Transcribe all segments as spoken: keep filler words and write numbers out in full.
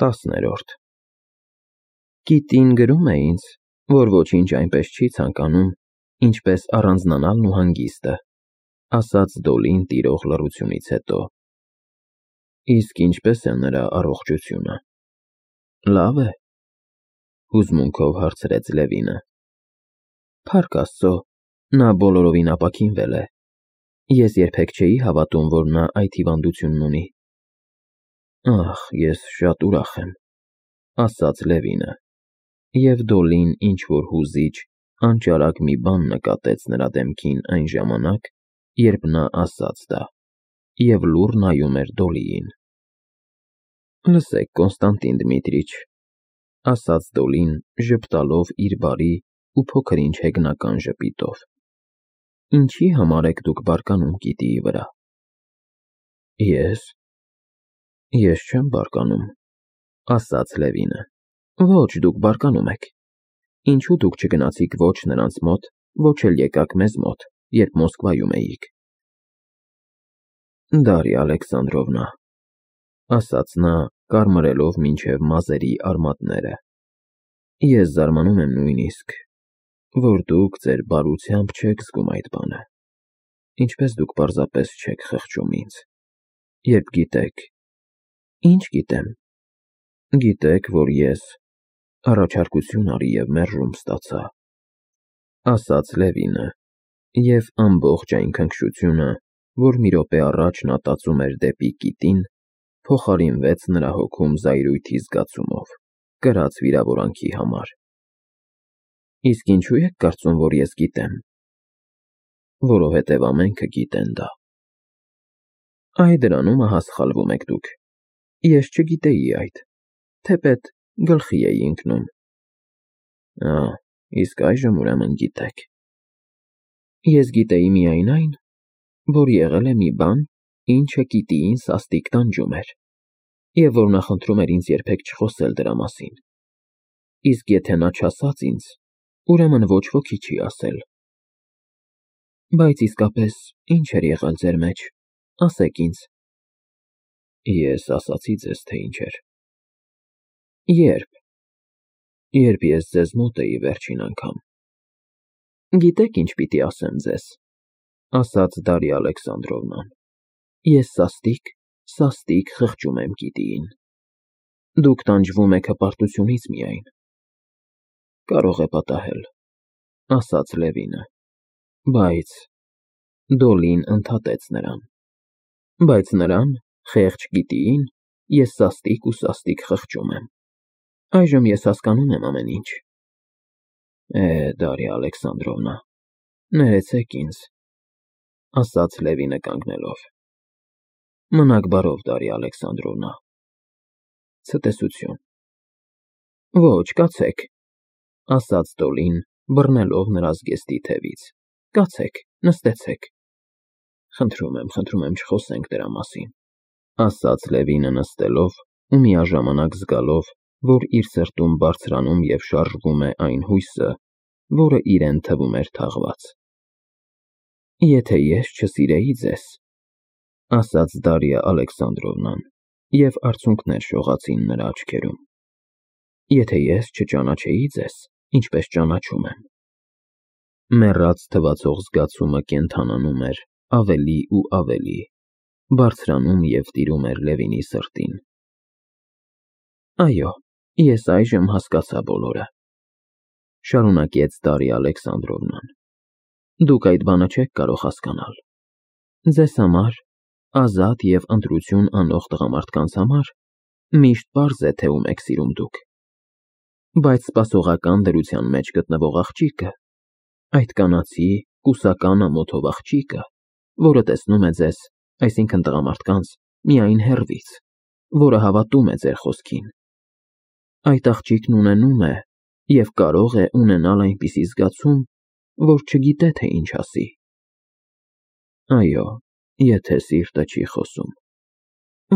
Տասներորդ Կիտին գրում է ինձ, որ ոչինչ այնպես չի ցանկանում, ինչպես առանձնանալն ու հանգիստը, ասաց Դոլին տիրող լռությունից հետո։ Իսկ ինչպես է նրա առողջությունը։ Լավ է, հուզմունքով հարցրեց Լևինը։ Փառք Աստծո, նա բոլորովին ապաքինվել է։ Ես երբեք չէի հավատում, որ նա այդ հիվանդությունն ունի։ Ախ, ես շատ ուրախ եմ, ասաց Լևինը, և Դոլին ինչ-որ հուզիչ, անճարակ մի բան նկատեց նրա դեմքին այն ժամանակ, երբ նա ասաց դա, և լուռ նայում էր Դոլիին։ Լսեք, Կոնստանտին Դմիտրիչ, ասաց Դոլին, ժպտալով իր բարի ու փոքր-ինչ հեգնական ժպիտով, ինչի համար եք դուք բարկանում գիտիի վրա։ Ես… Ես չեմ բարկանում, ասաց Լևինը։ Ոչ, դուք բարկանում եք։ Ինչու դուք չգնացիք ոչ նրանց մոտ, ոչ էլ եկաք մեզ մոտ, երբ Մոսկվայում էիք։ Դարիա Ալեքսանդրովնա, ասաց նա, կարմրելով մինչև մազերի արմատները, ես զարմանում եմ նույնիսկ, որ դուք ձեր բարությամբ չեք զգում այդ բանը, ինչպես դուք պարզապես չեք խղճում ինձ, երբ գիտեք… Ինչ գիտեմ։ Գիտեք, որ ես առաջարկություն արի և մերժում ստացա, ասաց Լևինը, և ամբողջ այն քնքշությունը, որ մի րոպե առաջ նա տածում էր դեպի կիտին, փոխարինվեց նրա հոգում զայրույթի զգացումով, կրած վիրավորանքի համար։ Իսկ ինչու եք կարծում, որ ես գիտեմ։ Որովհետև ամենքը գիտեն դա։ Այ դրանում ահա սխալվում եք դուք։ Ես չգիտեի այդ, թեպետ գլխի էի ընկնում։ Ա, իսկ այժմ ուրեմն գիտեք։ Ես գիտեի միայն այն, որ եղել է մի բան, ինչը կիտիին սաստիկ տանջում էր, և որ նա խնդրում էր ինձ երբեք չխոսել դրա մասին։ Իսկ եթե նա չասաց ինձ, ուրեմն ոչ ոքի չի ասել։ Բայց իսկապես ինչ էր եղել ձեր մեջ, ասեք ինձ։ Ես ասացի ձեզ, թե ինչ էր։ Ե՞րբ։ Երբ ես ձեզ մոտ էի վերջին անգամ։ Գիտեք, ինչ պիտի ասեմ ձեզ, ասաց Դարիա Ալեքսանդրովնան, ես սաստիկ, սաստիկ խղճում եմ գիտիին։ Դուք տանջվում եք հպարտությունից միայն։ Կարող է պատահել, ասաց Լևինը, բայց… Դոլին ընդհատեց նրան։ Բայց նրան, խեղճ գիտիին, ես սաստիկ ու սաստիկ խղճում եմ։ Այժմ ես հասկանում եմ ամեն ինչ։ Է, Դարիա Ալեքսանդրովնա, ներեցեք ինձ, ասաց Լևինը կանգնելով։ Մնաք բարով, Դարիա Ալեքսանդրովնա։ Ցտեսություն։ Ոչ, կացեք, ասաց Դոլին, բռնելով նրա զգեստի թևից։ Կացեք, նստեցեք։ Խնդրում եմ, խնդրում եմ, չխոսենք դրա մասին, ասաց Լևինը նստելով ու միաժամանակ զգալով, որ իր սրտում բարձրանում և շարժվում է այն հույսը, որը իրեն թվում էր թաղված։ Եթե ես չսիրեի ձեզ, ասաց Դարիա Ալեքսանդրովնան, և արցունքներ շողացին նրա աչքերում, եթե ես չճանաչեի ձեզ, ինչպես ճանաչում եմ։ Մեռած թվացող զգացումը կենդանանում էր ավելի ու ավելի, բարձրանում և տիրում էր Լևինի սրտին։ Այո, ես այժմ հասկացա բոլորը, շարունակեց Դարիա Ալեքսանդրովնան։ Դուք այդ բանը չեք կարող հասկանալ։ Ձեզ համար, ազատ և ընտրություն անող տղամարդկանց համար, միշտ պարզ է, թե ում եք սիրում դուք։ Բայց սպասողական դրության մեջ գտնվող աղջիկը, այդ կանացի, կուսական ամոթով աղջիկը, որը տեսնում է ձեզ, այսինքն տղամարդկանց, միայն հեռվից, որը հավատում է ձեր խոսքին, այդ աղջիկն ունենում է և կարող է ունենալ այնպիսի զգացում, որ չգիտե, թե ինչ ասի։ Այո, եթե սիրտը չի խոսում։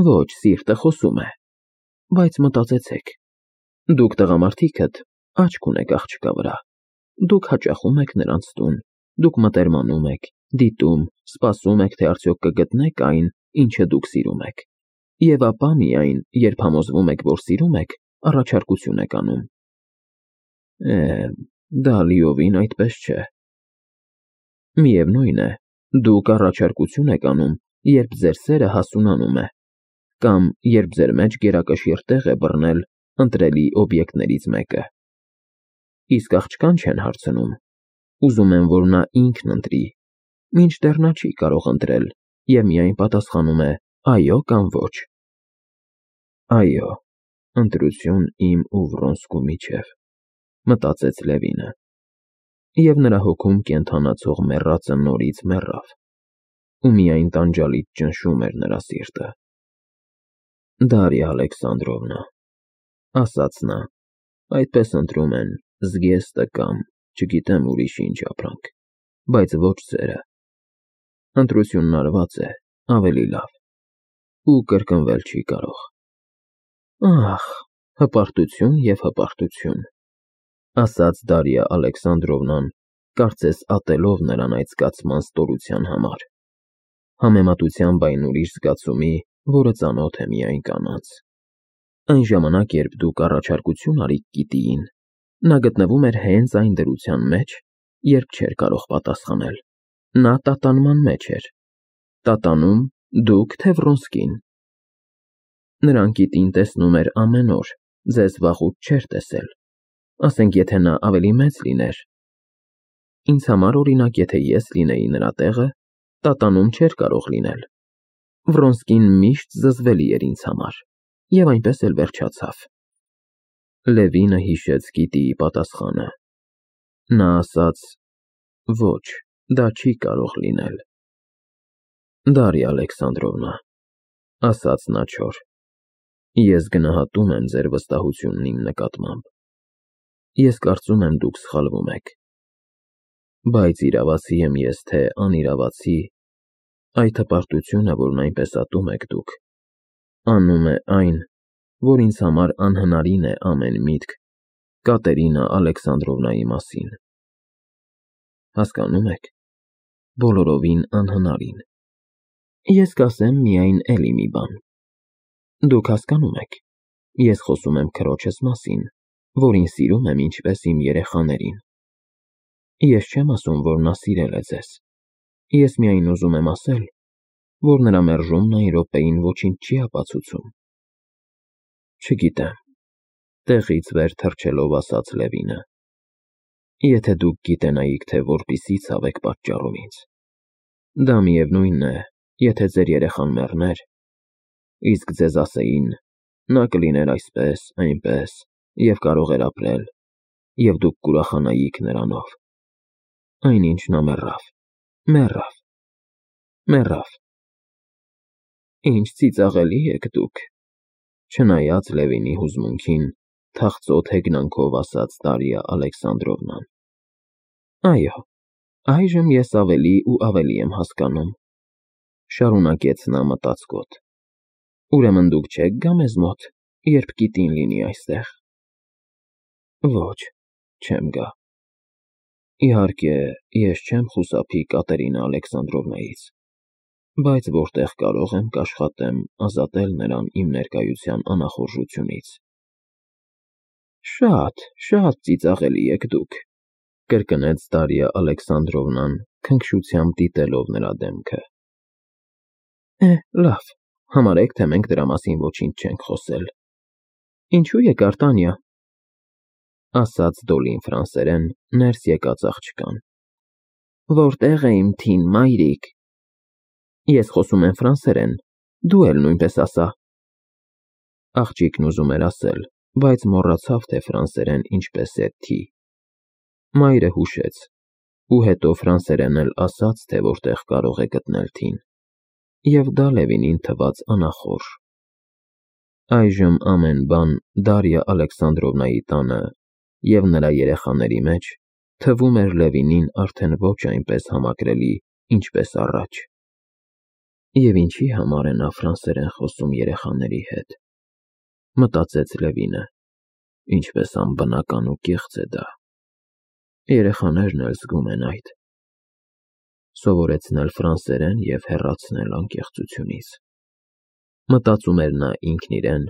Ոչ, սիրտը խոսում է, բայց մտածեցեք, դուք տղամարդիկդ աչք ունեք աղջկա վրա, դուք հաճախում եք նրանց տուն, դուք մտերմանում եք, դիտում, սպասում եք, թե արդյոք կգտնեք այն, ինչը դուք սիրում եք։ Եվ ապա միայն, երբ համոզվում եք, որ սիրում եք, առաջարկություն եք անում։ Է, դա լիովին այդպես չէ։ Միևնույն է, դուք առաջարկություն եք անում, երբ ձեր սերը հասունանում է, կամ երբ ձեր մեջ գերակշիռ տեղ է բռնել ընտրելի օբյեկտներից մեկը։ Իսկ աղջկան չեն հարցնում, ուզում են, որ նա ինքն ընտրի, մինչդեռ նա չի կարող ընտրել և միայն պատասխանում է այո կամ ոչ։ Այո, ընտրություն իմ ու Վրոնսկու միջև, մտածեց Լևինը, և նրա հոգում կենդանացող մեռածը նորից մեռավ, ու միայն տանջալից ճնշում էր նրա սիրտը։ Դարիա Ալեքսանդրովնա, ասաց նա, այդպես ընտրում են Զգեստը կամ, չգիտեմ ուրիշ ինչ ապրանք, բայց ոչ ձերը։ Ընտրությունն արված է, ավելի լավ, ու կրկնվել չի կարող։ Ահ, հպարտություն և հպարտություն, ասաց Դարիա Ալեքսանդրովնան, կարծես ատելով նրան այդ զգացման ստորության համար, համեմատությամբ այն ուրիշ զգացումի, որը ծանոթ է միայն կանանց։ Այն ժամանակ, երբ դուք առաջարկություն արիք Կիտիին, նա գտնվում էր հենց այն դրության մեջ, երբ չէր կարող պատասխանել։ Նա տատանման մեջ էր։ Տատանում դուք, թե Վրոնսկին։ Նրան Կիտին տեսնում էր ամեն օր, ձեզ վաղուց չէր տեսել, ասենք եթե նա ավելի մեծ լիներ։ Ինձ համար, օրինակ, եթե ես լինեի նրա տեղը, տատանում չէր կարող լինել։ Վրոնսկին միշտ զզվելի էր ինձ համար, և այնպես էլ վերջացավ։ Լևինը հիշեց Կիտիի պատասխանը։ Նա ասաց. ոչ, դա չի կարող լինել։ Դարիա Ալեքսանդրովնա, ասաց նա չոր, ես գնահատում եմ ձեր վստահությունն իմ նկատմամբ։ Ես կարծում եմ դուք սխալվում եք։ Բայց իրավացի եմ ես, թե անիրավացի, այդ հպարտությունը, որն այնպես ատում եք դուք, անում է այն, որ ինձ համար անհնարին է ամեն միտք Կատերինա Ալեքսանդրովնայի մասին։ Հասկանում եք, բոլորովին անհնարին։ Ես կասեմ միայն էլի մի բան։ Դուք հասկանում եք, ես խոսում եմ քրոջս մասին, որին սիրում եմ ինչպես իմ երեխաներին։ Ես չեմ ասում, որ նա սիրել է ձեզ։ Ես միայն ուզում եմ ասել, որ նրա մերժումն այն րոպեին ոչինչ չի ապացուցում։ Չգիտեմ, տեղից վեր թռչելով ասաց Լևինը։ Եթե դուք գիտենայիք, թե որպիսի ցավ եք պատճառում ինձ։ Դա միևնույնն է, եթե ձեր երեխան մեռներ, իսկ ձեզ ասեին, նա կլիներ այսպես, այնպես, և կարող էր ապրել, և դուք կուրախանայիք նրանով։ Այնինչ նա մեռավ, մեռավ, մեռավ։ Ինչ ծիծաղելի եք դուք, չնայած Լևինի հուզմունքին, թախծոտ հեգնանքով ասաց Դարիա Ալեքսանդրովնան։ Այո, այժմ ես ավելի ու ավելի եմ հասկանում, շարունակեց նա մտածկոտ։ Ուրեմն դուք չեք գա մեզ մոտ, երբ Կիտին լինի այստեղ։ Ոչ, չեմ գա։ Իհարկե, ես չեմ խուսափի Կատերինա Ալեքսանդրովնայից, բայց որտեղ կարող եմ կաշխատեմ ազատել նրան իմ ներկայության անախորժությունից։ Շատ, շատ ծիծաղելի եք դուք, կրկնեց Դարիա Ալեքսանդրովնան, քնքշությամբ դիտելով նրա դեմքը։ Է, լավ, համարեք, թե մենք դրա մասին ոչինչ չենք խոսել։ Ինչու եկար, Տանյա, ասաց Դոլին ֆրանսերեն ներս եկած աղջկան։ Որտեղ է իմ թին մայրիկ։ Ես խոսում եմ ֆրանսերեն, դու էլ նույնպես ասա։ Աղջիկն ուզում էր ասել, բայց մոռացավ, թե ֆրանսերեն ինչպես է թի։ Մայրը հուշեց, ու հետո ֆրանսերեն էլ ասաց, թե որտեղ կարող է գտնել թին, և դա Լևինին թվաց անախորժ։ Այժմ ամեն բան Դարիա Ալեքսանդրովնայի տանը և նրա երեխաների մեջ թվում էր Լևինին արդեն ոչ այնպես համակրելի, ինչպես առաջ։ Եվ ինչի համար է նա ֆրանսերեն խոսում երեխաների հետ, մտածեց Լևինը, ինչպես անբնական ու կեղծ է դա։ Երեխաներն էլ զգում են այդ։ Սովորեցնել ֆրանսերեն և հեռացնել անկեղծությունից։ Մտածում էր նա ինքն իրեն,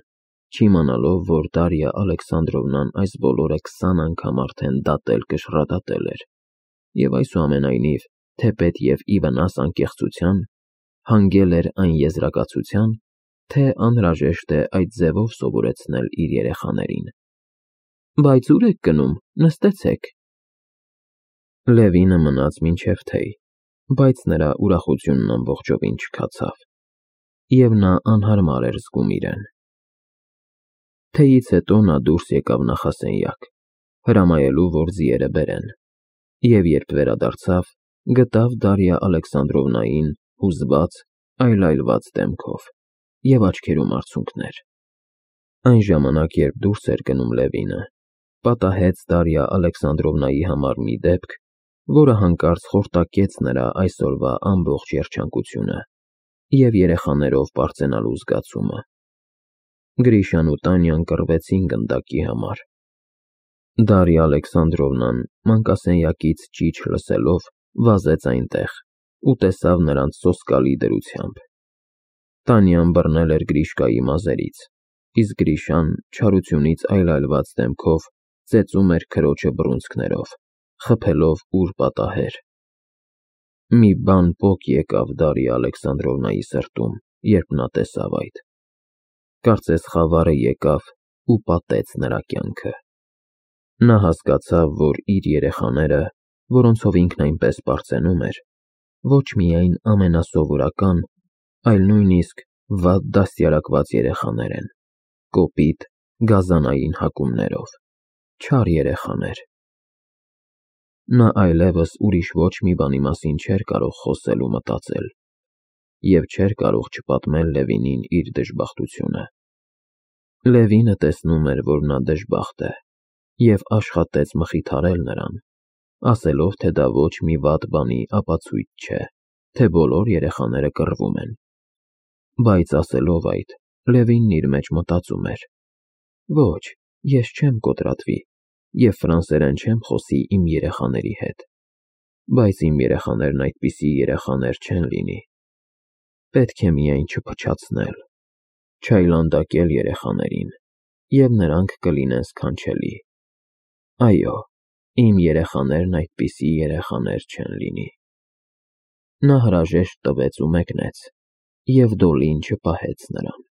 չիմանալով, որ Դարիա Ալեքսանդրովնան այս բոլորը քսան անգամ արդեն դատել կշռադատել էր, և այսուամենայնիվ, թեպետ և ի վնաս անկեղծության, հանգել էր այն եզրակացության, թե անհրաժեշտ է այդ ձևով սովորեցնել իր երեխաներին։ Բայց ո՞ւր եք գնում, նստեցեք։ Լևինը մնաց մինչև թեյ, բայց նրա ուրախությունն ամբողջովին չքացավ, և նա անհարմար էր զգում իրեն։ Թեյից հետո նա դուրս եկավ նախասենյակ, հրամայելու, որ ձիերը բերեն, և երբ վերադարձավ, գտավ Դարիա Ալեքսանդրովնային հուզված, այլայլված դեմքով և աչքերում արցունքներ։ Այն ժամանակ, երբ դուրս էր գնում Լևինը, պատահեց Դարիա Ալեքսանդրովնայի համար մի դեպք, որը հանկարծ խորտակեց նրա այսօրվա ամբողջ երջանկությունը և երեխաներով պարծենալու զգացումը։ Գրիշան ու Տանյան կռվեցին գնդակի համար։ Դարիա Ալեքսանդրովնան մանկասենյակից ճիչ լսելով վազեց այնտեղ ու տեսավ նրանց սոսկալի դրությամբ։ Տանյան բռնել էր Գրիշկայի մազերից, իսկ Գրիշան չարությունից այլայլված դեմքով ծեծում էր քրոջը բռունցքներով, խփելով ուր պատահեր։ Մի բան պոկ եկավ Դարիա Ալեքսանդրովնայի սրտում, երբ նա տեսավ այդ։ Կարծես խավարը եկավ ու պատեց նրա կյանքը։ Նա հասկացավ, որ իր երեխաները, որոնցով ինքն այնպես պարծենում էր, ոչ միայն ամենասովորական, այլ նույնիսկ վատ դաստիարակված երեխաներ են, կոպիտ, գազանային հակումներով, չար երեխաներ։ Նա այլևս ուրիշ ոչ մի բանի մասին չէր կարող խոսել ու մտածել, և չէր կարող չպատմել Լևինին իր դժբախտությունը։ Լևինը տեսնում էր, որ նա դժբախտ է, և աշխատեց մխիթարել նրան, ասելով, թե դա ոչ մի վատ բանի ապացույց չէ, թե բոլոր երեխաները կռվում են։ Բայց ասելով այդ, Լևինն իր մեջ մտածում էր. ոչ, ես չեմ կոտրատվի և ֆրանսերեն չեմ խոսի իմ երեխաների հետ, բայց իմ երեխաներն այդպիսի երեխաներ չեն լինի։ Պետք է միայն չփչացնել, չայլանդակել երեխաներին, և նրանք կլինեն սքանչելի։ Այո, իմ երեխաներն այդպիսի երեխաներ չեն լինի։ Նա հրաժեշտ տվեց ու մեկնեց, և Դոլին չպահեց նրան։